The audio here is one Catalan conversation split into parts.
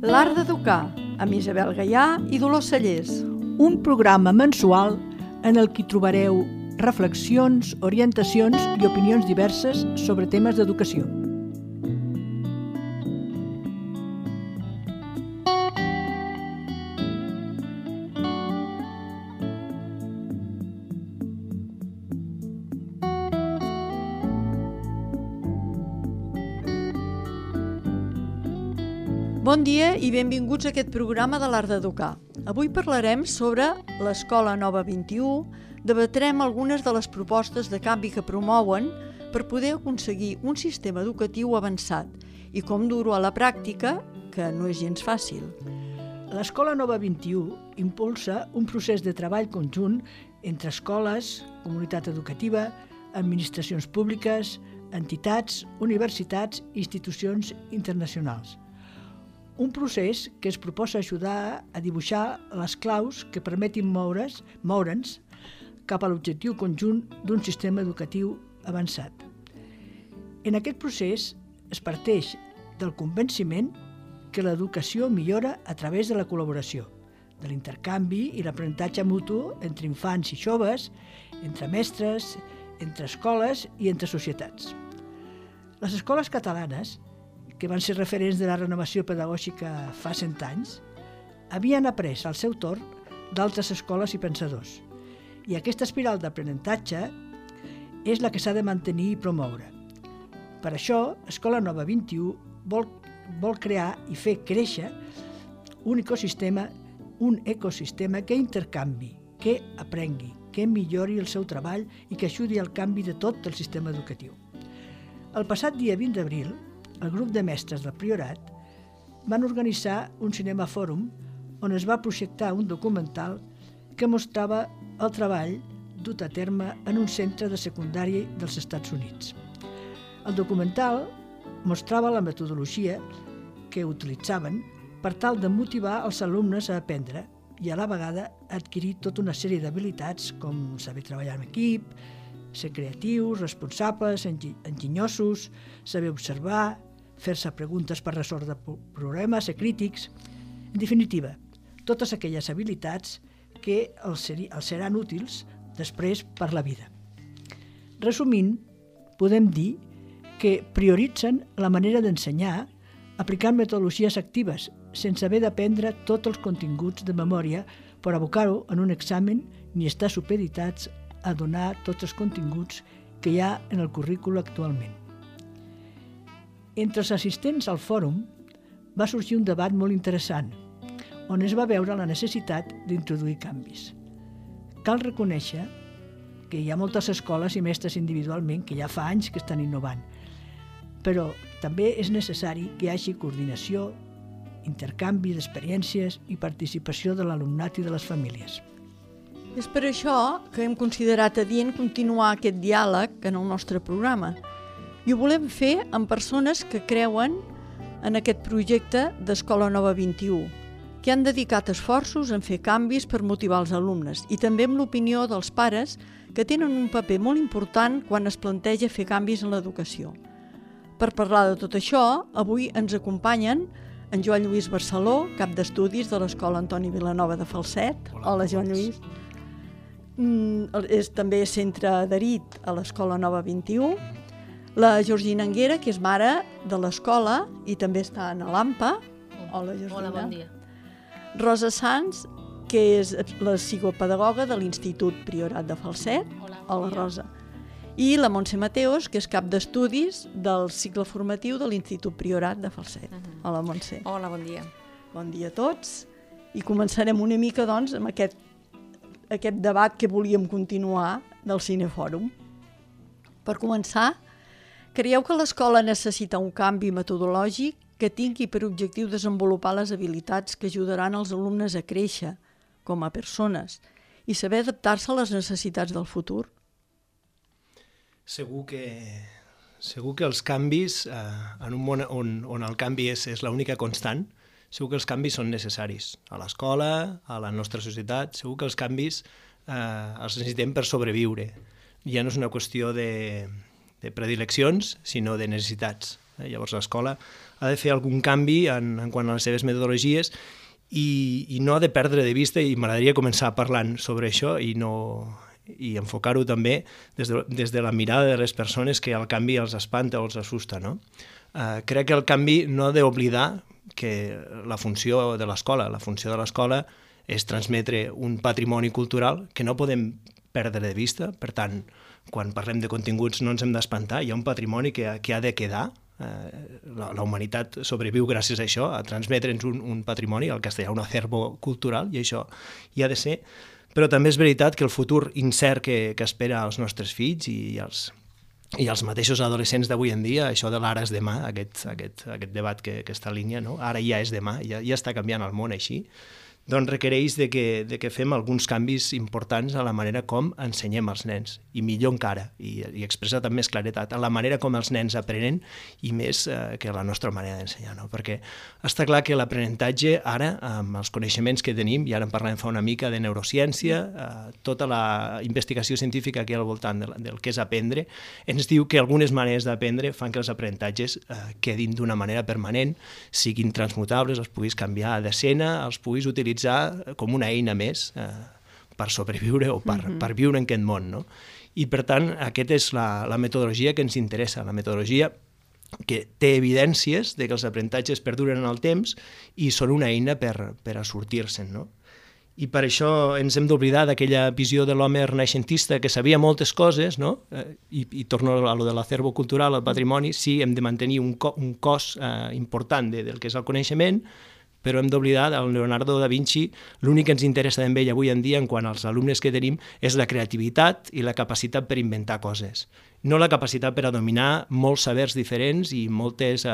L'Art d'Educar, amb Isabel Gaià i Dolors Cellers. Un programa mensual en el que trobareu reflexions, orientacions i opinions diverses sobre temes d'educació. Bon dia i benvinguts a aquest programa de l'Art d'Educar. Avui parlarem sobre l'Escola Nova 21, debatrem algunes de les propostes de canvi que promouen per poder aconseguir un sistema educatiu avançat i com dur-ho a la pràctica, que no és gens fàcil. L'Escola Nova 21 impulsa un procés de treball conjunt entre escoles, comunitat educativa, administracions públiques, entitats, universitats i institucions internacionals. Un procés que es proposa ajudar a dibuixar les claus que permetin moure'ns cap a l'objectiu conjunt d'un sistema educatiu avançat. En aquest procés es parteix del convenciment que l'educació millora a través de la col·laboració, de l'intercanvi i l'aprenentatge mutu entre infants i joves, entre mestres, entre escoles i entre societats. Les escoles catalanes, que van ser referents de la renovació pedagògica fa 100 anys, havien après al seu torn d'altres escoles i pensadors. I aquesta espiral d'aprenentatge és la que s'ha de mantenir i promoure. Per això, Escola Nova 21 vol crear i fer créixer un ecosistema que intercanvi, que aprengui, que millori el seu treball i que ajudi al canvi de tot el sistema educatiu. El passat dia 20 d'abril, el grup de mestres del Priorat van organitzar un cinemafòrum on es va projectar un documental que mostrava el treball dut a terme en un centre de secundària dels Estats Units. El documental mostrava la metodologia que utilitzaven per tal de motivar els alumnes a aprendre i a la vegada adquirir tota una sèrie d'habilitats com saber treballar en equip, ser creatius, responsables, enginyosos, saber observar, fer-se preguntes per resoldre problemes, ser crítics. En definitiva, totes aquelles habilitats que els seran útils després per la vida. Resumint, podem dir que prioritzen la manera d'ensenyar aplicant metodologies actives sense haver d'aprendre tots els continguts de memòria per abocar-ho en un examen ni estar supeditats a donar tots els continguts que hi ha en el currícul actualment. Entre els assistents al fòrum va sorgir un debat molt interessant, on es va veure la necessitat d'introduir canvis. Cal reconèixer que hi ha moltes escoles i mestres individualment que ja fa anys que estan innovant, però també és necessari que hi hagi coordinació, intercanvi d'experiències i participació de l'alumnat i de les famílies. És per això que hem considerat adient continuar aquest diàleg en el nostre programa. I ho volem fer amb persones que creuen en aquest projecte d'Escola Nova 21, que han dedicat esforços en fer canvis per motivar els alumnes i també amb l'opinió dels pares que tenen un paper molt important quan es planteja fer canvis en l'educació. Per parlar de tot això, avui ens acompanyen en Joan Lluís Barceló, cap d'estudis de l'Escola Antoni Vilanova de Falset. Hola Joan Lluís. També és centre adherit a l'Escola Nova 21. La Georgina Anguera, que és mare de l'escola i també està a l'AMPA. Hola, Georgina. Hola, bon dia. Rosa Sanz, que és la psicopedagoga de l'Institut Priorat de Falset. Hola, Rosa. I la Montse Mateos, que és cap d'estudis del cicle formatiu de l'Institut Priorat de Falset. Hola, Montse. Hola, bon dia. Bon dia a tots. I començarem una mica, doncs, amb aquest debat que volíem continuar del Cinefòrum. Per començar, creieu que l'escola necessita un canvi metodològic que tingui per objectiu desenvolupar les habilitats que ajudaran els alumnes a créixer com a persones i saber adaptar-se a les necessitats del futur? Segur que els canvis, en un món on el canvi és l'única constant, segur que els canvis són necessaris a l'escola, a la nostra societat, segur que els canvis els necessitem per sobreviure. Ja no és una qüestió de predileccions, sinó de necessitats. Llavors l'escola ha de fer algun canvi en quant a les seves metodologies i no ha de perdre de vista, i m'agradaria començar parlant sobre això i enfocar-ho també des de la mirada de les persones que el canvi els espanta o els assusta, no? Crec que el canvi no ha d'oblidar que la funció de l'escola és transmetre un patrimoni cultural que no podem perdre de vista. Per tant, quan parlem de continguts no ens hem d'espantar, hi ha un patrimoni que ha de quedar. La humanitat sobreviu gràcies a això, a transmetre'ns un patrimoni, al castellà un acervo cultural, i això hi ha de ser. Però també és veritat que el futur incert que espera als nostres fills i els mateixos adolescents d'avui en dia, això de l'ara és demà, aquest debat que està en línia, no? Ara ja és demà, ja està canviant el món així, doncs requereix de que fem alguns canvis importants a la manera com ensenyem als nens, i millor encara, i expressat amb més claretat, a la manera com els nens aprenen i més que la nostra manera d'ensenyar, no? Perquè està clar que l'aprenentatge ara, amb els coneixements que tenim, i ara en parlem fa una mica de neurociència, tota la investigació científica que hi ha al voltant del que és aprendre, ens diu que algunes maneres d'aprendre fan que els aprenentatges quedin d'una manera permanent, siguin transmutables, els puguis canviar d'escena, els puguis utilitzar com una eina més per sobreviure o per viure en aquest món, no? I per tant, aquesta és la metodologia que ens interessa, la metodologia que té evidències de que els aprenentatges perduren en el temps i són una eina per a sortir-se'n, no? I per això ens hem d'oblidar d'aquella visió de l'home renaixentista que sabia moltes coses, no? I torno a lo de l'acervo cultural, al patrimoni, sí, hem de mantenir un cos important del que és el coneixement, però hem d'oblidar del Leonardo da Vinci. L'únic que ens interessa d'ell avui en dia en quant als alumnes que tenim és la creativitat i la capacitat per inventar coses, no la capacitat per a dominar molts sabers diferents i moltes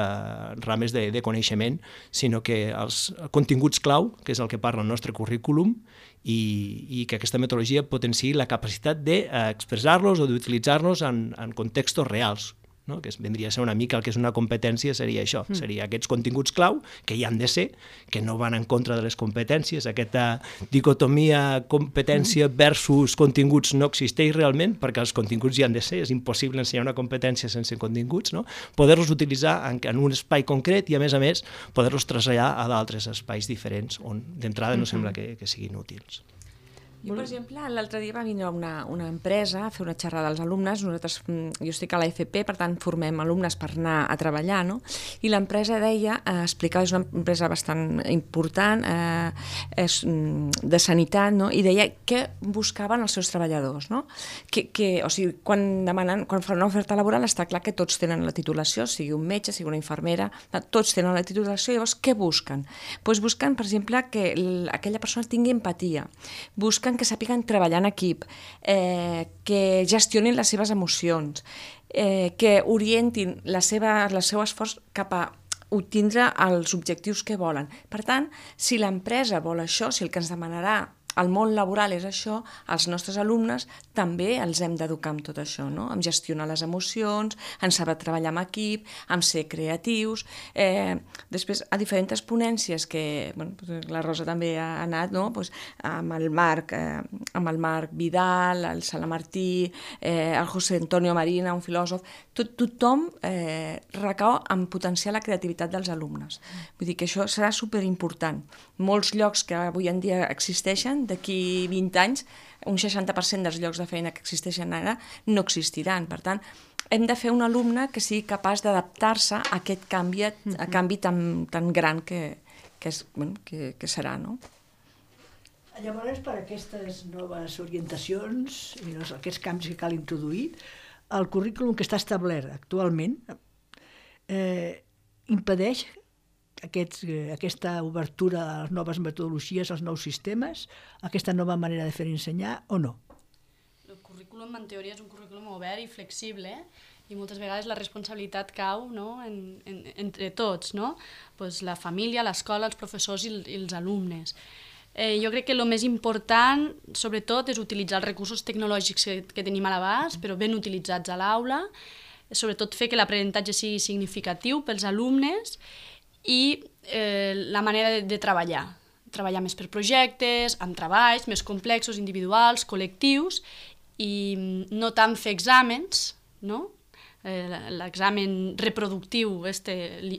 rames de coneixement, sinó que els continguts clau, que és el que parla el nostre currículum, i que aquesta metodologia potenciï la capacitat d'expressar-los o d'utilitzar-los en contextos reals, no? Que vendria a ser una mica el que és una competència, seria això, seria aquests continguts clau, que hi han de ser, que no van en contra de les competències, aquesta dicotomia competència versus continguts no existeix realment, perquè els continguts hi han de ser, és impossible ensenyar una competència sense continguts, no? Poder-los utilitzar en un espai concret i, a més, poder-los traslladar a d'altres espais diferents on d'entrada no sembla que siguin útils. Jo, per exemple, l'altre dia va vindre una empresa a fer una xerrada als alumnes. Jo estic a la FP, per tant formem alumnes per anar a treballar, no? I l'empresa deia, explicava, és una empresa bastant important, de sanitat, no? I deia què buscaven els seus treballadors, no? O sigui, quan fan una oferta laboral està clar que tots tenen la titulació, sigui un metge, sigui una infermera, tots tenen la titulació, llavors què busquen? Doncs busquen, per exemple, que aquella persona tingui empatia, busquen que sàpiguen treballar en equip, que gestionin les seves emocions, que orientin el seu esforç cap a obtindre els objectius que volen. Per tant, si l'empresa vol això, si el que ens demanarà el món laboral és això, els nostres alumnes també els hem d'educar amb tot això, no? En gestionar les emocions, en saber treballar en equip, en ser creatius. Després, a diferents ponències que la Rosa també ha anat, no? Amb el Marc Vidal, el Salamartí, el José Antonio Marina, un filòsof, tothom recau en potenciar la creativitat dels alumnes. Vull dir que això serà superimportant. Molts llocs que avui en dia existeixen, d'aquí 20 anys, un 60% dels llocs de feina que existeixen ara no existiran. Per tant, hem de fer un alumne que sigui capaç d'adaptar-se a aquest canvi tan gran que serà, no? Llavors, per aquestes noves orientacions i aquests canvis que cal introduir, el currículum que està establert actualment impedeix aquesta obertura a les noves metodologies, als nous sistemes, aquesta nova manera de fer i ensenyar, o no? El currículum, en teoria, és un currículum obert i flexible, i moltes vegades la responsabilitat cau, no? Entre tots, no? Pues la família, l'escola, els professors i els alumnes. Jo crec que el més important, sobretot, és utilitzar els recursos tecnològics que tenim a l'abast, però ben utilitzats a l'aula, sobretot fer que l'aprenentatge sigui significatiu pels alumnes i la manera de treballar més per projectes, amb treballs més complexos, individuals, col·lectius, i no tant fer exàmens, no? l'examen reproductiu,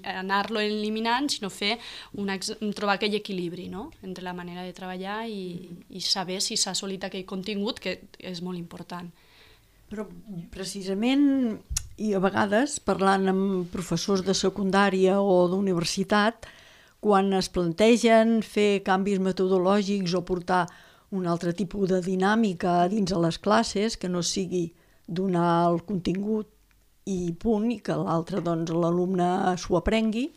anar-lo eliminant, sinó trobar aquell equilibri, no?, entre la manera de treballar i saber si s'ha assolit aquell contingut, que és molt important. Però precisament, i a vegades parlant amb professors de secundària o d'universitat, quan es plantegen fer canvis metodològics o portar un altre tipus de dinàmica dins de les classes, que no sigui donar el contingut i punt, i que l'altre, doncs, l'alumne s'ho aprengui,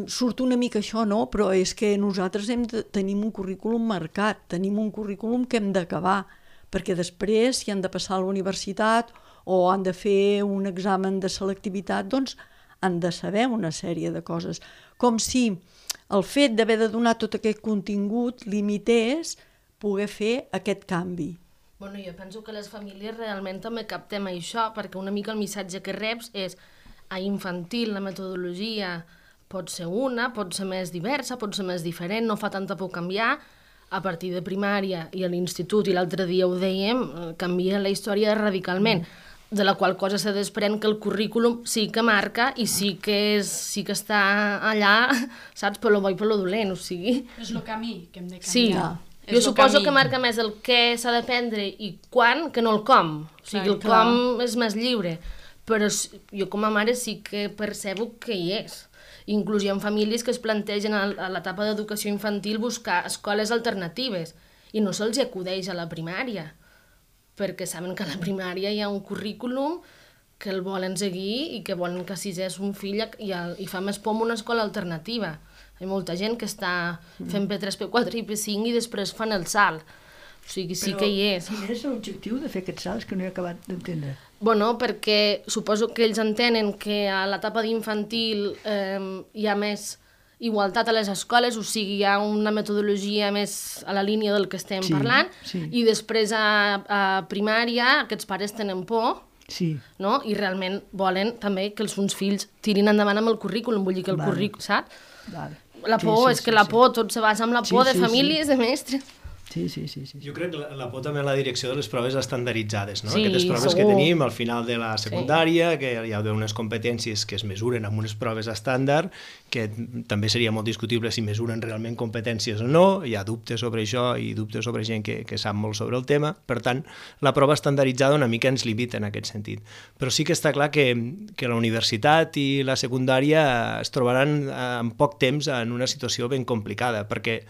surt una mica això, no? Però és que nosaltres tenim un currículum marcat, tenim un currículum que hem d'acabar, perquè després, si han de passar a la universitat o han de fer un examen de selectivitat, doncs han de saber una sèrie de coses. Com si el fet d'haver de donar tot aquest contingut limités poder fer aquest canvi. Bueno, jo penso que les famílies realment també captem això, perquè una mica el missatge que reps és a infantil la metodologia pot ser una, pot ser més diversa, pot ser més diferent, no fa tanta por canviar. A partir de primària i a l'institut, i l'altre dia ho dèiem, canvia la història radicalment, de la qual cosa se desprèn que el currículum sí que marca i sí que està allà, saps, per lo bo i per lo dolent, o sigui... És el camí que hem de canviar. Sí. Jo suposo que marca més el què s'ha d'aprendre i quan, que no el com. O sigui, el com és més lliure. Però jo com a mare sí que percebo que hi és. Inclús hi ha famílies que es plantegen a l'etapa d'educació infantil buscar escoles alternatives i no se'ls acudeix a la primària, perquè saben que a la primària hi ha un currículum que el volen seguir i que volen que a sisè un fill i fa més por una escola alternativa. Hi ha molta gent que està fent P3, P4 i P5 i després fan el salt. O sigui, sí que hi és. Quin és l'objectiu de fer aquest salt? És que no he acabat d'entendre. Bueno, perquè suposo que ells entenen que a l'etapa d'infantil hi ha més igualtat a les escoles, o sigui, hi ha una metodologia més a la línia del que estem parlant, i després a primària aquests pares tenen por, no? I realment volen també que els seus fills tirin endavant amb el currículum, vull dir que el currículum, saps? La por, és que la por, tot se basa en la por de famílies, de mestres. Sí. Jo crec que la por també en la direcció de les proves estandarditzades, no? Aquestes proves que tenim al final de la secundària, que hi ha unes competències que es mesuren amb unes proves estàndard, que també seria molt discutible si mesuren realment competències o no, hi ha dubtes sobre això i dubtes sobre gent que sap molt sobre el tema, per tant, la prova estandarditzada una mica ens limita en aquest sentit. Però sí que està clar que la universitat i la secundària es trobaran en poc temps en una situació ben complicada, perquè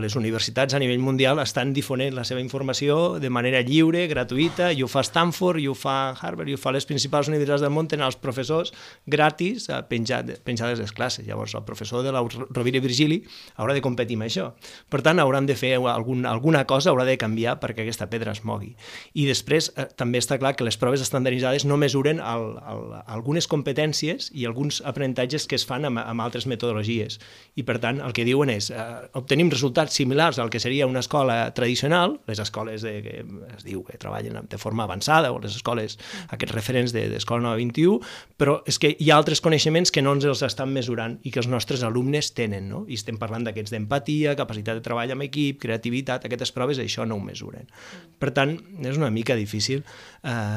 les universitats a nivell mundial estan difonent la seva informació de manera lliure, gratuïta, i ho fa Stanford, i ho fa Harvard, i ho fa les principals universitats del món, tenen els professors gratis penjades les classes. Llavors, el professor de la Rovira i Virgili haurà de competir amb això. Per tant, hauran de fer alguna cosa, haurà de canviar perquè aquesta pedra es mogui. I després, també està clar que les proves estandarditzades no mesuren algunes competències i alguns aprenentatges que es fan amb altres metodologies. I, per tant, el que diuen és obtenim resultats similars al que seria una escola tradicional, les escoles que es diu que treballen de forma avançada, o les escoles, aquests referents d'Escola Nova 21, però és que hi ha altres coneixements que no ens els estan mesurant i que els nostres alumnes tenen, no? I estem parlant d'aquests d'empatia, capacitat de treball amb equip, creativitat, aquestes proves això no ho mesuren. Per tant, és una mica difícil.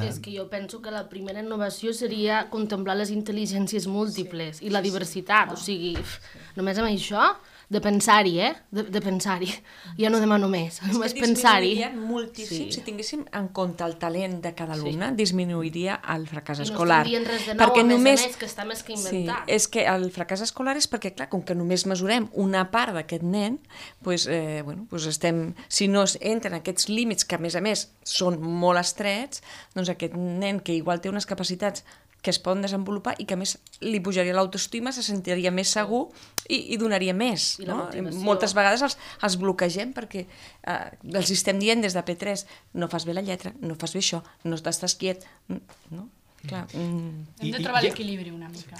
És que jo penso que la primera innovació seria contemplar les intel·ligències múltiples i la diversitat, o sigui, només amb això... De pensar-hi, de pensar-hi. Ja no demano més, només pensar-hi. Disminuiria moltíssim, si tinguéssim en compte el talent de cada alumne, disminuiria el fracàs escolar. I no estem dient res de nou, a més, que està més que inventat. Sí, és que el fracàs escolar és perquè, clar, com que només mesurem una part d'aquest nen, si no entren aquests límits, que a més són molt estrets, doncs aquest nen que igual té unes capacitats que es poden desenvolupar i que a més li pujaria l'autoestima, se sentiria més segur i donaria més. No? Moltes vegades els bloquegem perquè els estem dient des de P3 no fas bé la lletra, no fas bé això, no estàs quiet, no? Clar. Hem de trobar l'equilibri una mica.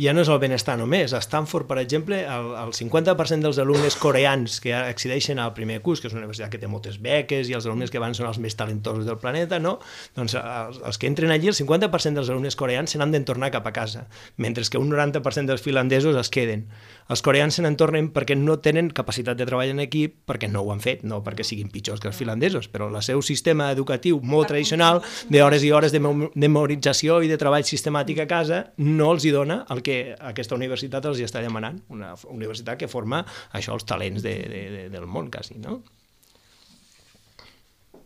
Ja no és el benestar només. A Stanford, per exemple, el 50% dels alumnes coreans que accedeixen al primer curs, que és una universitat que té moltes beques i els alumnes que van són els més talentosos del planeta, no? Doncs els que entren allí, el 50% dels alumnes coreans se n'han de tornar cap a casa, mentre que un 90% dels finlandesos es queden. Els coreans se n'en tornen perquè no tenen capacitat de treball en equip, perquè no ho han fet, no perquè siguin pitjors que els finlandesos, però el seu sistema educatiu molt tradicional, d'hores i hores de memoritzar d'organització i de treball sistemàtic a casa no els hi dona el que aquesta universitat els hi està demanant, una universitat que forma això, els talents del món, quasi, no?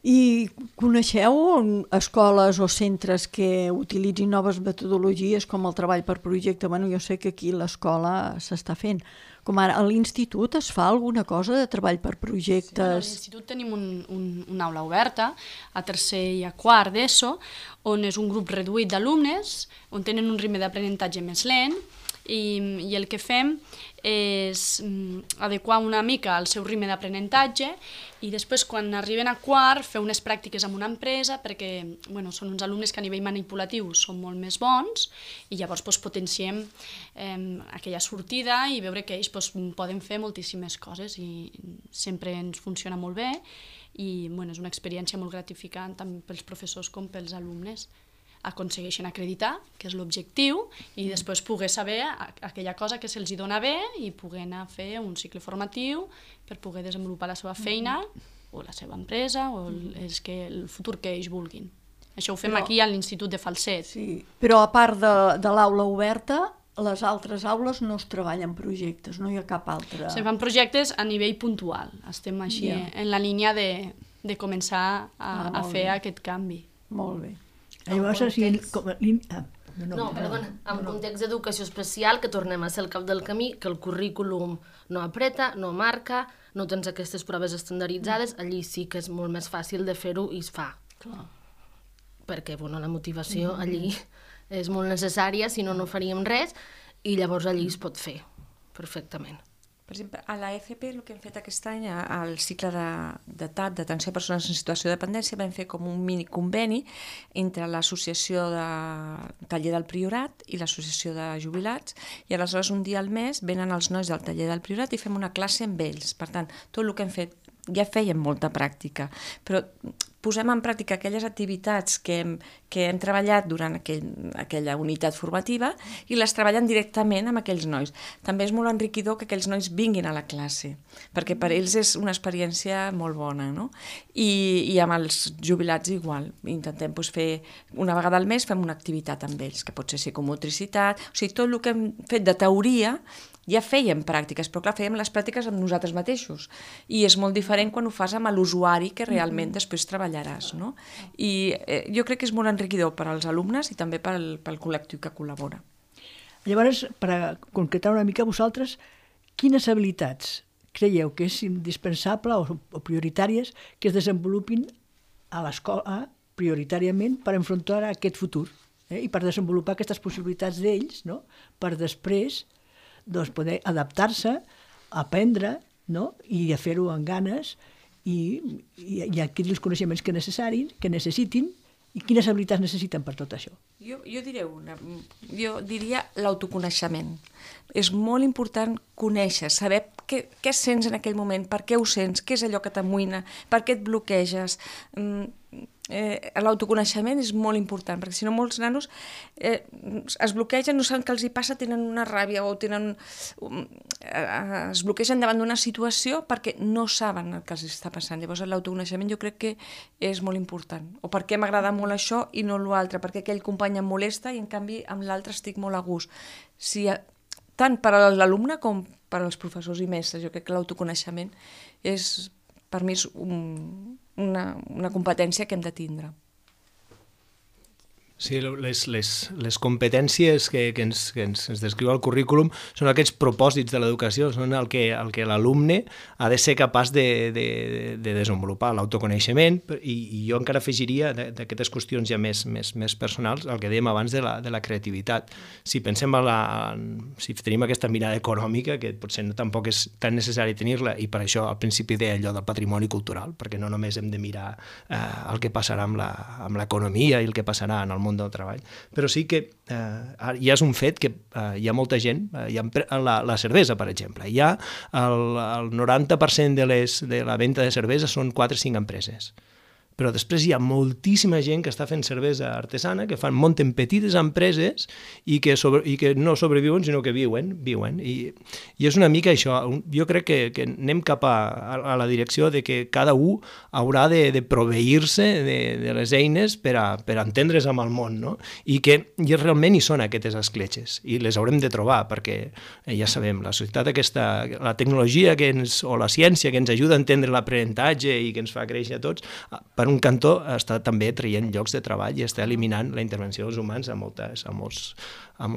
I coneixeu escoles o centres que utilitzin noves metodologies com el treball per projecte? Bueno, jo sé que aquí l'escola s'està fent. Com ara, a l'institut es fa alguna cosa de treball per projectes? Sí, a l'institut tenim una aula oberta, a tercer i a quart d'ESO, on és un grup reduït d'alumnes, on tenen un ritme d'aprenentatge més lent, i el que fem és adequar una mica el seu ritme d'aprenentatge i després quan arriben a quart fer unes pràctiques amb una empresa perquè són uns alumnes que a nivell manipulatiu són molt més bons i llavors potenciem aquella sortida i veure que ells poden fer moltíssimes coses i sempre ens funciona molt bé i és una experiència molt gratificant tant pels professors com pels alumnes. Aconsegueixen acreditar, que és l'objectiu, i després poder saber aquella cosa que se'ls dona bé i poder anar a fer un cicle formatiu per poder desenvolupar la seva feina o la seva empresa o el futur que ells vulguin. Això ho fem aquí a l'Institut de Falset. Sí, però a part de l'aula oberta, les altres aules no es treballen projectes, no hi ha cap altra... Se fan projectes a nivell puntual. Estem així en la línia de començar a fer aquest canvi. Molt bé. Llavors, en context d'educació especial, que tornem a ser al cap del camí, que el currículum no apreta, no marca, no tens aquestes proves estandarditzades, allí sí que és molt més fàcil de fer-ho i es fa. Clar. Perquè la motivació allí és molt necessària, si no, no faríem res, i llavors allí es pot fer perfectament. Per exemple, a la FP el que hem fet aquest any, al cicle de TAP, d'atenció a persones en situació de dependència, vam fer com un mini conveni entre l'associació de taller del Priorat i l'associació de jubilats, i aleshores un dia al mes venen els nois del taller del Priorat i fem una classe amb ells. Per tant, tot el que hem fet ja fèiem molta pràctica, però posem en pràctica aquelles activitats que hem treballat durant aquella unitat formativa i les treballen directament amb aquells nois. També és molt enriquidor que aquells nois vinguin a la classe, perquè per ells és una experiència molt bona, no? I amb els jubilats igual. Intentem fer, una vegada al mes, fem una activitat amb ells, que pot ser psicomotricitat, o sigui, tot el que hem fet de teoria ja fèiem pràctiques, però clar, fèiem les pràctiques amb nosaltres mateixos i és molt diferent quan ho fas amb l'usuari que realment després treballaràs, no? I jo crec que és molt enriquidor per als alumnes i també pel col·lectiu que col·labora. Llavors, per concretar una mica vosaltres, quines habilitats creieu que és indispensable o prioritàries que es desenvolupin a l'escola prioritàriament per enfrontar aquest futur i per desenvolupar aquestes possibilitats d'ells, no? Per després poder adaptar-se, aprendre, no? I a fer-ho amb ganes i adquirir els coneixements que necessitin i quines habilitats necessiten per tot això. Jo diria l'autoconeixement. És molt important conèixer, saber què sents en aquell moment, per què ho sents, què és allò que t'amoïna, per què et bloqueges. L'autoconeixement és molt important, perquè si no molts nanos es bloquegen, no saben què els hi passa, tenen una ràbia o es bloquegen davant d'una situació perquè no saben el que els està passant. Llavors l'autoconeixement jo crec que és molt important. O per què m'agrada molt això i no l'altre, perquè aquell company em molesta i en canvi amb l'altre estic molt a gust. Tant per a l'alumne com per als professors i mestres, jo crec que l'autoconeixement és, per mi, és una competència que hem de tindre. Sí, les competències que ens descriu el currículum són aquests propòsits de l'educació, són el que l'alumne ha de ser capaç de desenvolupar, l'autoconeixement, i jo encara afegiria d'aquestes qüestions ja més personals, el que dèiem abans de la creativitat. Si pensem si tenim aquesta mirada econòmica, que potser tampoc és tan necessari tenir-la, i per això al principi deia allò del patrimoni cultural, perquè no només hem de mirar el que passarà amb l'economia i el que passarà en el món del treball, però sí que ja és un fet que hi ha molta gent, la cervesa, per exemple, hi ha el 90% de la venda de cervesa són 4 o 5 empreses. però després hi ha moltíssima gent que està fent cervesa artesana, que munten petites empreses i que no sobreviuen, sinó que viuen. I és una mica això. Jo crec que anem cap a la direcció de que cada un haurà de proveir-se de les eines per a entendre's amb el món, no? I realment hi són aquestes escletxes, i les haurem de trobar, perquè ja sabem, la societat aquesta, la tecnologia o la ciència que ens ajuda a entendre l'aprenentatge i que ens fa créixer a tots, per un cantó està també traient llocs de treball i està eliminant la intervenció dels humans a molts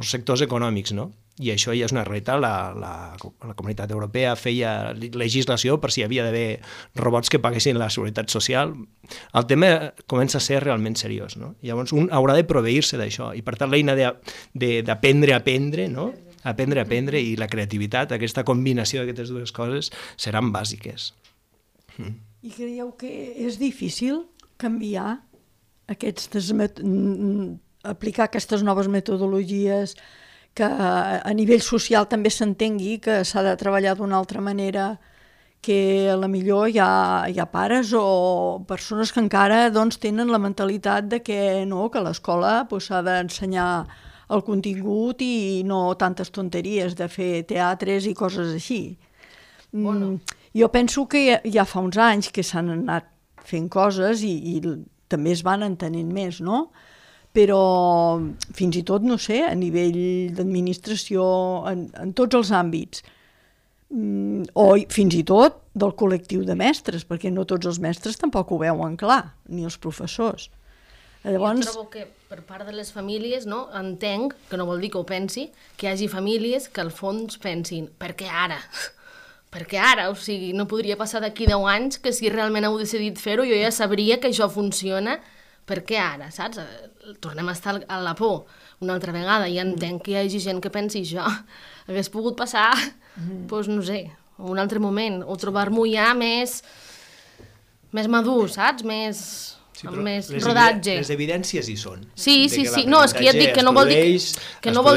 sectors econòmics, no? I això ja és una realitat. La Comunitat Europea feia legislació per si hi havia d'haver robots que paguessin la seguretat social. El tema comença a ser realment seriós, no? Llavors un haurà de proveir-se d'això, i per tant l'eina d'aprendre a aprendre, no? Aprendre, i la creativitat, aquesta combinació d'aquestes dues coses seran bàsiques. I creieu que és difícil canviar aplicar aquestes noves metodologies, que a nivell social també s'entengui que s'ha de treballar d'una altra manera, que a la millor hi ha pares o persones que encara tenen la mentalitat de que l'escola s'ha d'ensenyar el contingut i no tantes tonteries de fer teatres i coses així. Jo penso que ja fa uns anys que s'han anat fent coses i també es van entenent més, no? Però fins i tot, no sé, a nivell d'administració, en tots els àmbits, o fins i tot del col·lectiu de mestres, perquè no tots els mestres tampoc ho veuen clar, ni els professors. Llavors... Jo trobo que per part de les famílies, no, entenc, que no vol dir que ho pensi, que hi hagi famílies que al fons pensin, per què ara? Perquè ara, o sigui, no podria passar d'aquí 10 anys que si realment heu decidit fer-ho jo ja sabria que això funciona, per què ara, saps? Tornem a estar a la por una altra vegada i entenc que hi hagi gent que pensi això. Hagués pogut passar, doncs no sé, en un altre moment, o trobar-m'ho ja més madur, saps? Amb més rodatge. Les evidències hi són. Sí. No, és que ja et dic que no vol dir que jo ho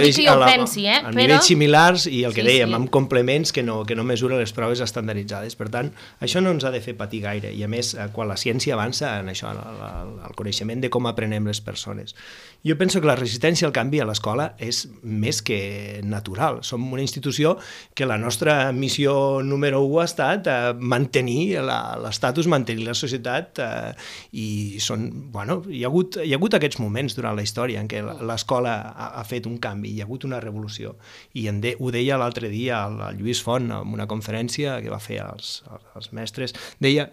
pensi, a nivells similars i el que dèiem, amb complements que no mesuren les proves estandarditzades. Per tant, això no ens ha de fer patir gaire. I a més, quan la ciència avança en això, el coneixement de com aprenem les persones. Jo penso que la resistència al canvi a l'escola és més que natural. Som una institució que la nostra missió número 1 ha estat mantenir l'estatus, mantenir la societat i hi ha hagut aquests moments durant la història en què l'escola ha fet un canvi, hi ha hagut una revolució. I ho deia l'altre dia el Lluís Font en una conferència que va fer als mestres, deia,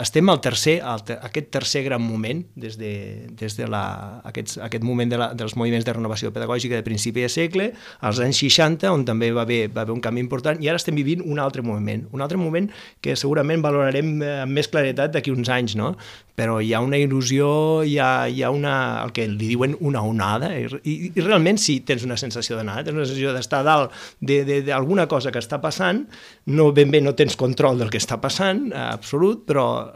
estem aquest tercer gran moment des de aquest moment dels moviments de renovació pedagògica de principi de segle, als anys 60, on també va haver un canvi important, i ara estem vivint un altre moment que segurament valorarem amb més claretat d'aquí uns anys, no? Però hi ha una il·lusió, hi ha el que li diuen una onada, i realment sí, tens una sensació d'onada, tens una sensació d'estar dalt d'alguna cosa que està passant, no ben bé no tens control del que està passant, absolut, però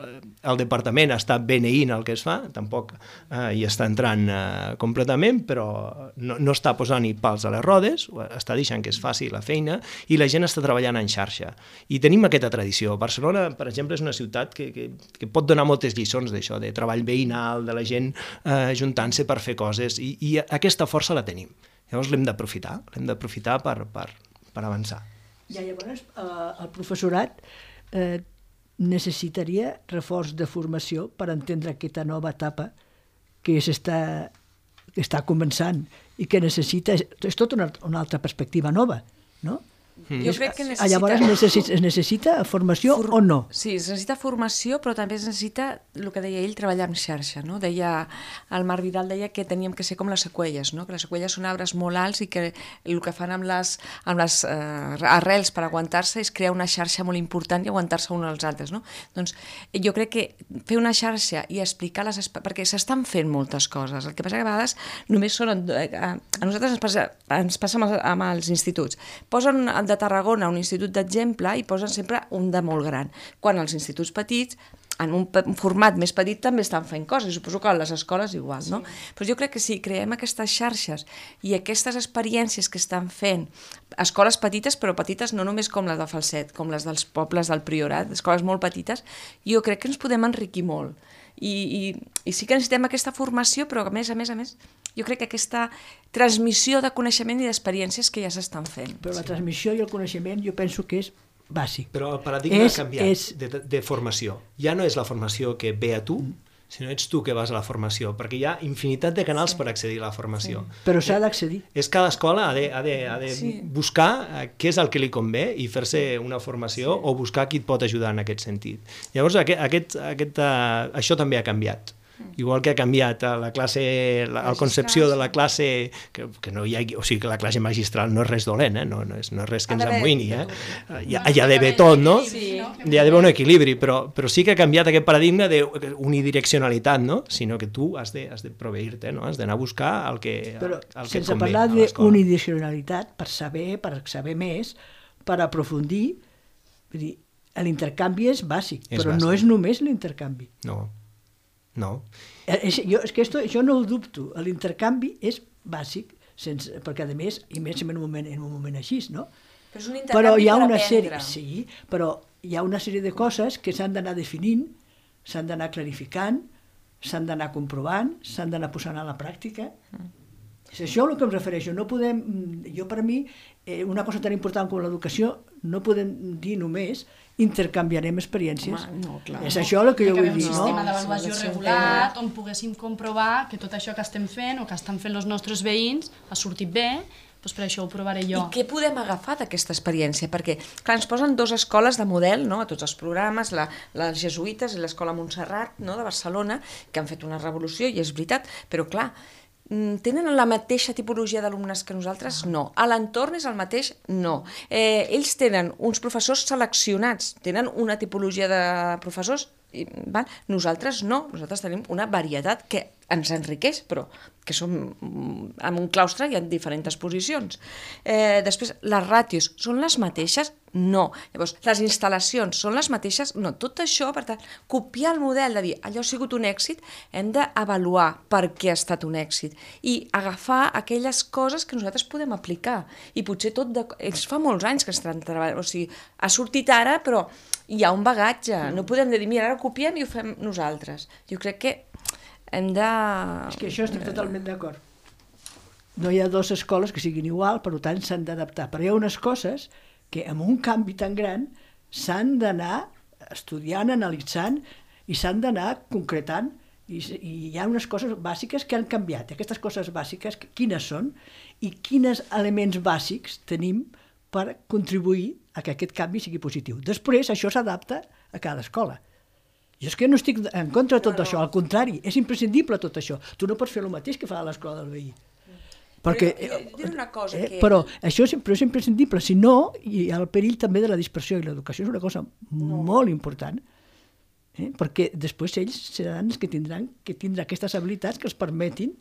el departament està beneint el que es fa, tampoc hi està entrant completament, però no està posant ni pals a les rodes, està deixant que es faci la feina, i la gent està treballant en xarxa. I tenim aquesta tradició. Barcelona, per exemple, és una ciutat que pot donar moltes lliçons d'això, de treball veïnal, de la gent juntant-se per fer coses, i aquesta força la tenim. Llavors l'hem d'aprofitar per avançar. Ja, llavors, el professorat necessitaria reforç de formació per entendre aquesta nova etapa que està començant i que necessita... És tota una altra perspectiva nova, no? Jo crec que necessita... Llavors es necessita formació o no? Sí, es necessita formació, però també es necessita, el que deia ell, treballar en xarxa, no? El Marc Vidal deia que teníem que ser com les seqüelles, no? Que les seqüelles són arbres molt alts i que el que fan amb les arrels per aguantar-se és crear una xarxa molt important i aguantar-se uns als altres, no? Doncs jo crec que fer una xarxa i explicar perquè s'estan fent moltes coses, el que passa que a vegades només són... A nosaltres ens passa amb els instituts. Posen de Tarragona un institut d'exemple i posen sempre un de molt gran, quan els instituts petits en un format més petit també estan fent coses, suposo que a les escoles igual, no? Però jo crec que si creem aquestes xarxes i aquestes experiències que estan fent escoles petites, però petites no només com les de Falset, com les dels pobles del Priorat, escoles molt petites, jo crec que ens podem enriquir molt. I sí que necessitem aquesta formació, però a més, jo crec que aquesta transmissió de coneixement i d'experiències que ja s'estan fent. Però la transmissió i el coneixement jo penso que és bàsic. Però el paradigma ha canviat de formació. Ja no és la formació que ve a tu, sinó ets tu que vas a la formació, perquè hi ha infinitat de canals per accedir a la formació. Però s'ha d'accedir. És cada escola ha de buscar què és el que li convé i fer-se una formació o buscar qui et pot ajudar en aquest sentit. Llavors, això també ha canviat. Igual que ha canviat la concepció de la classe, que no hi ha, o sigui que la classe magistral no és res dolent, no és res que ens amoïni, hi ha d'haver tot, no? Hi ha d'haver un equilibri, però sí que ha canviat aquest paradigma d'unidireccionalitat, no? Sinó que tu has de proveir-te, no? Has d'anar a buscar el que convé a l'escola. Però sense parlar d'unidireccionalitat, per saber més, per aprofundir, vull dir, l'intercanvi és bàsic, però no és només l'intercanvi. No. És que això no ho dubto. L'intercanvi és bàsic, perquè a més, i més en un moment així, no? Però és un intercanvi per aprendre. Sí, però hi ha una sèrie de coses que s'han d'anar definint, s'han d'anar clarificant, s'han d'anar comprovant, s'han d'anar posant a la pràctica. És això el que em refereixo. No podem, jo per mi, una cosa tan important com l'educació, no podem dir només intercanviarem experiències. És això el que jo vull dir, no? Un sistema d'avaluació regulat on poguéssim comprovar que tot això que estem fent o que estan fent els nostres veïns ha sortit bé, doncs per això ho provaré jo. I què podem agafar d'aquesta experiència? Perquè, clar, ens posen 2 escoles de model, no?, a tots els programes, les jesuïtes i l'escola Montserrat, no?, de Barcelona, que han fet una revolució, i és veritat, però clar, tenen la mateixa tipologia d'alumnes que nosaltres? No. A l'entorn és el mateix? No. Ells tenen uns professors seleccionats, tenen una tipologia de professors, nosaltres no. Nosaltres tenim una varietat que ens enriqueix, però que som en un claustre hi ha diferents posicions. Després, les ràtios són les mateixes? No. Llavors, les instal·lacions són les mateixes? No. Tot això, per tant, copiar el model de dir allò ha sigut un èxit, hem d'avaluar per què ha estat un èxit i agafar aquelles coses que nosaltres podem aplicar. I potser ells fa molts anys que estan treballant, o sigui, ha sortit ara, però hi ha un bagatge. No podem dir, mira, ara ho copiem i ho fem nosaltres. Jo crec que hem de... És que això estic totalment d'acord. No hi ha 2 escoles que siguin igual, per tant s'han d'adaptar. Però hi ha unes coses que amb un canvi tan gran s'han d'anar estudiant, analitzant i s'han d'anar concretant. I hi ha unes coses bàsiques que han canviat. Aquestes coses bàsiques, quines són i quins elements bàsics tenim per contribuir a que aquest canvi sigui positiu. Després, això s'adapta a cada escola. Jo és que no estic en contra de tot això, al contrari, és imprescindible tot això. Tu no pots fer el mateix que fa a l'escola del veí. Però això és imprescindible, si no hi ha el perill també de la dispersió, i l'educació és una cosa molt important, perquè després ells seran els que tindran aquestes habilitats que els permetin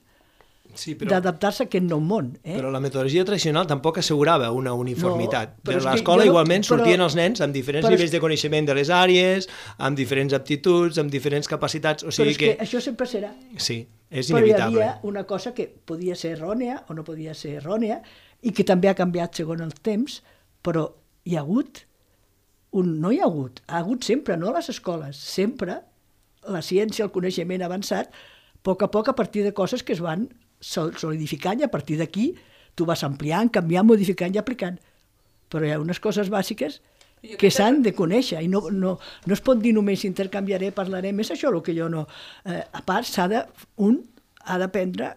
d'adaptar-se a aquest nou món. Però la metodologia tradicional tampoc assegurava una uniformitat. De l'escola igualment sortien els nens amb diferents nivells de coneixement de les àrees, amb diferents aptituds, amb diferents capacitats. Però és que això sempre serà. Sí, és inevitable. Però hi havia una cosa que podia ser errònia o no podia ser errònia i que també ha canviat segons el temps, però hi ha hagut ha hagut sempre, no a les escoles, sempre la ciència, el coneixement avançat, a poc a partir de coses que es van solidificant i a partir d'aquí tu vas ampliant, canviant, modificant i aplicant. Però hi ha unes coses bàsiques que s'han de conèixer i no es pot dir només intercanviaré, parlarem, és això el que jo no... A part, un ha d'aprendre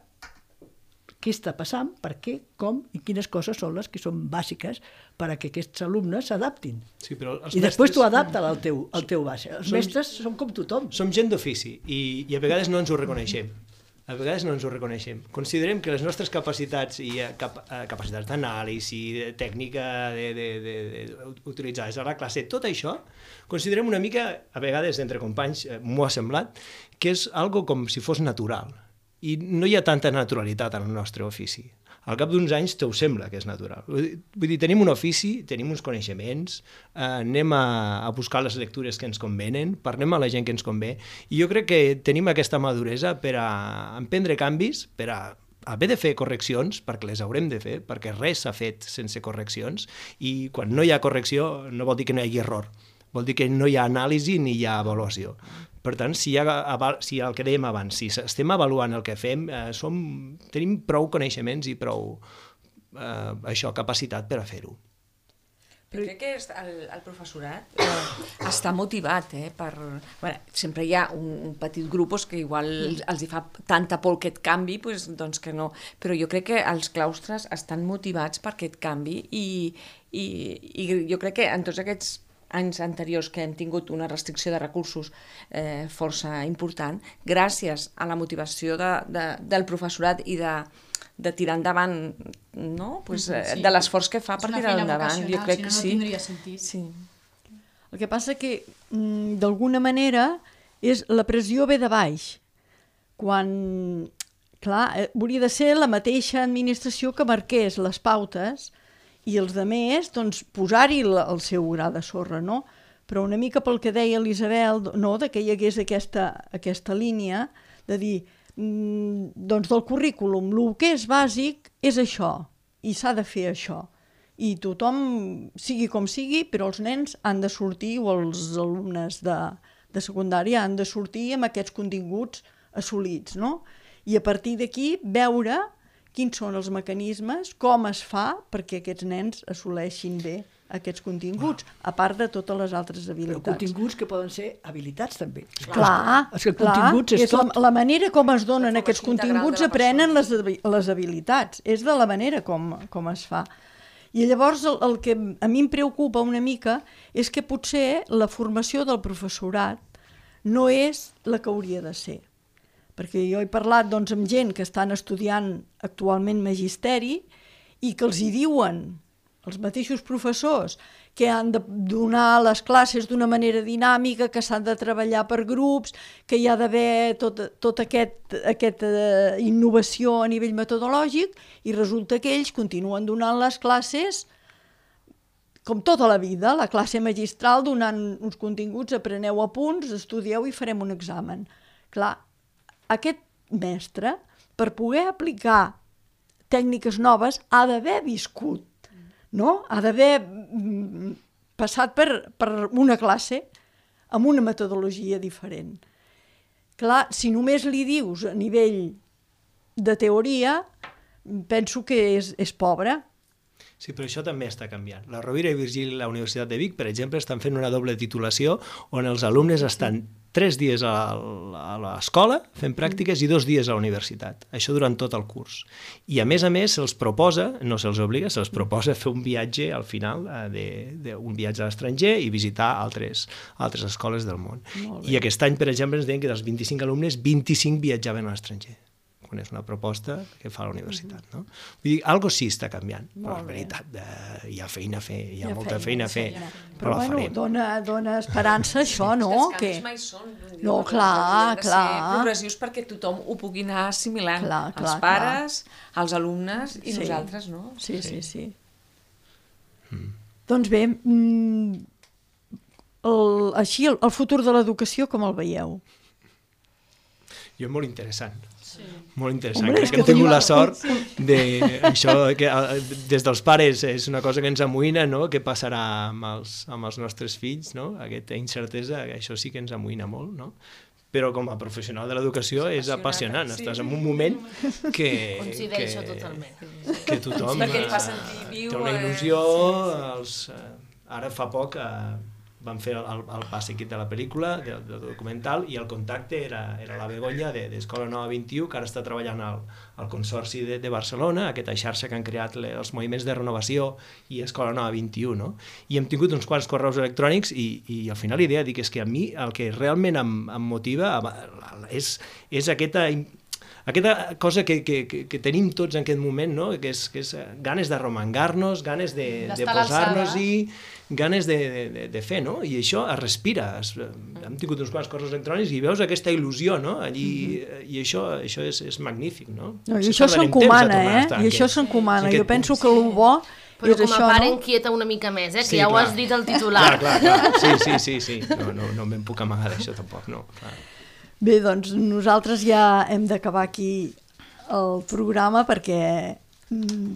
què està passant, per què, com i quines coses són les que són bàsiques per a que aquests alumnes s'adaptin. Sí, i després tu adapta al teu base. Els mestres són com tothom. Som gent d'ofici i a vegades no ens ho reconeixem. Considerem que les nostres capacitats i capacitats d'anàlisi, tècnica utilitzades a la classe, tot això, considerem una mica, a vegades entre companys m'ho ha semblat, que és algo com si fos natural. I no hi ha tanta naturalitat en el nostre ofici. Al cap d'uns anys te ho sembla que és natural. Vull dir, tenim un ofici, tenim uns coneixements, anem a buscar les lectures que ens convenen, parlem a la gent que ens convé, i jo crec que tenim aquesta maduresa per a emprendre canvis, per a haver de fer correccions, perquè les haurem de fer, perquè res s'ha fet sense correccions, i quan no hi ha correcció no vol dir que no hi hagi error, vol dir que no hi ha anàlisi ni hi ha avaluació. Per tant, si el que dèiem abans, si estem avaluant el que fem, tenim prou coneixements i prou capacitat per a fer-ho. Però crec que el professorat està motivat, sempre hi ha un petit grup que igual els hi fa tanta por aquest canvi, doncs que no. Però jo crec que els claustres estan motivats per aquest canvi i jo crec que en tots aquests anys anteriors que hem tingut una restricció de recursos força important, gràcies a la motivació del professorat i de tirar endavant, no? De l'esforç que fa per tirar endavant. Jo crec que sí. Si no, no tindria sentit. Sí. El que passa que, d'alguna manera, la pressió ve de baix. Quan, clar, hauria de ser la mateixa administració que marqués les pautes i els altres, doncs, posar-hi el seu gra de sorra, no? Però una mica pel que deia l'Isabel, no?, que hi hagués aquesta línia de dir, doncs del currículum, el que és bàsic és això, i s'ha de fer això. I tothom, sigui com sigui, però els nens han de sortir, o els alumnes de secundària han de sortir amb aquests continguts assolits, no? I a partir d'aquí veure quins són els mecanismes, com es fa perquè aquests nens assoleixin bé aquests continguts, a part de totes les altres habilitats. Però continguts que poden ser habilitats, també. Clar, continguts és tot. La manera com es donen aquests continguts aprenen les habilitats. És de la manera com es fa. I llavors el que a mi em preocupa una mica és que potser la formació del professorat no és la que hauria de ser. Perquè jo he parlat doncs, amb gent que estan estudiant actualment magisteri i que els hi diuen, els mateixos professors, que han de donar les classes d'una manera dinàmica, que s'han de treballar per grups, que hi ha d'haver tota aquesta innovació a nivell metodològic, i resulta que ells continuen donant les classes com tota la vida, la classe magistral donant uns continguts, apreneu apunts, estudieu i farem un examen. Clar, aquest mestre, per poder aplicar tècniques noves, ha d'haver viscut, no? Ha d'haver passat per una classe amb una metodologia diferent. Clar, si només li dius a nivell de teoria, penso que és pobre. Sí, però això també està canviant. La Rovira i Virgili a la Universitat de Vic, per exemple, estan fent una doble titulació on els alumnes estan 3 dies a l'escola fent pràctiques i 2 dies a la universitat. Això durant tot el curs. I a més se'ls proposa, no se'ls obliga, se'ls proposa fer un viatge al final, un viatge a l'estranger i visitar altres escoles del món. I aquest any, per exemple, ens deien que dels 25 alumnes, 25 viatjaven a l'estranger, quan és una proposta que fa la universitat, no? Vull dir, alguna cosa sí està canviant, però la veritat, hi ha feina a fer, hi ha molta feina a fer, però la farem. Dona esperança això, no? Els canvis mai són. No, clar. Han de ser progressius perquè tothom ho pugui anar assimilant. Els pares, els alumnes i nosaltres, no? Sí. Doncs bé, així el futur de l'educació com el veieu? Jo molt interessant. Molt interessant. Crec que hem tingut la sort d'això, que des dels pares és una cosa que ens amoïna, no? Què passarà amb els nostres fills, no? Aquesta incertesa, això sí que ens amoïna molt, no? Però com a professional de l'educació és apassionant. Estàs en un moment que... Coincideixo totalment. Que tothom té una il·lusió. Ara fa poc vam fer el pas seguit de la pel·lícula, del documental, i el contacte era la Begoña d'Escola Nova 21, que ara està treballant al Consorci de Barcelona, aquesta xarxa que han creat els moviments de renovació i Escola Nova 21, no? I hem tingut uns quants correus electrònics i al final l'idea dic és que a mi el que realment em motiva és aquesta cosa que tenim tots en aquest moment, no? Que és ganes d'arromangar-nos, ganes de posar-nos-hi, ganes de fer, no? I això es respira. Hem tingut uns quants correus electrònics i veus aquesta il·lusió, no? Allí, i això és magnífic, no? I això s'encomana, I això s'encomana. Jo penso que el bo però com a pare inquieta una mica més, que ja ho has dit al titular. Clar. Sí. No me'n puc amagar d'això tampoc, no. Bé, doncs nosaltres ja hem d'acabar aquí el programa perquè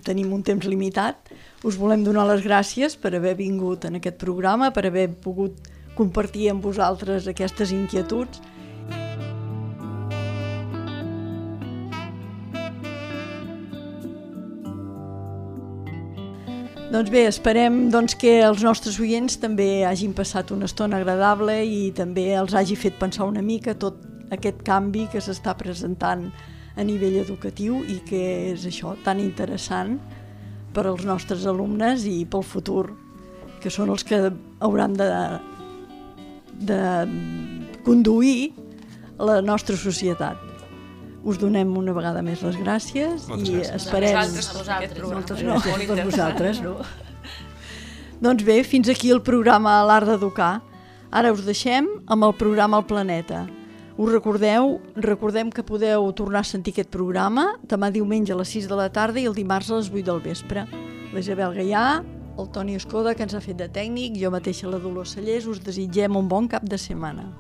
tenim un temps limitat. Us volem donar les gràcies per haver vingut en aquest programa, per haver pogut compartir amb vosaltres aquestes inquietuds. Doncs bé, esperem que els nostres oients també hagin passat una estona agradable i també els hagi fet pensar una mica tot aquest canvi que s'està presentant a nivell educatiu i que és això tan interessant per als nostres alumnes i pel futur, que són els que hauran de conduir la nostra societat. Us donem una vegada més les gràcies i esperem... A vosaltres. Moltes gràcies per vosaltres, no? Doncs bé, fins aquí el programa L'Art d'Educar. Ara us deixem amb el programa El Planeta. Us recordem que podeu tornar a sentir aquest programa demà diumenge a les 6 de la tarda i el dimarts a les 8 del vespre. La Isabel Gaià, el Toni Escoda, que ens ha fet de tècnic, jo mateixa la Dolors Cellers, us desitgem un bon cap de setmana.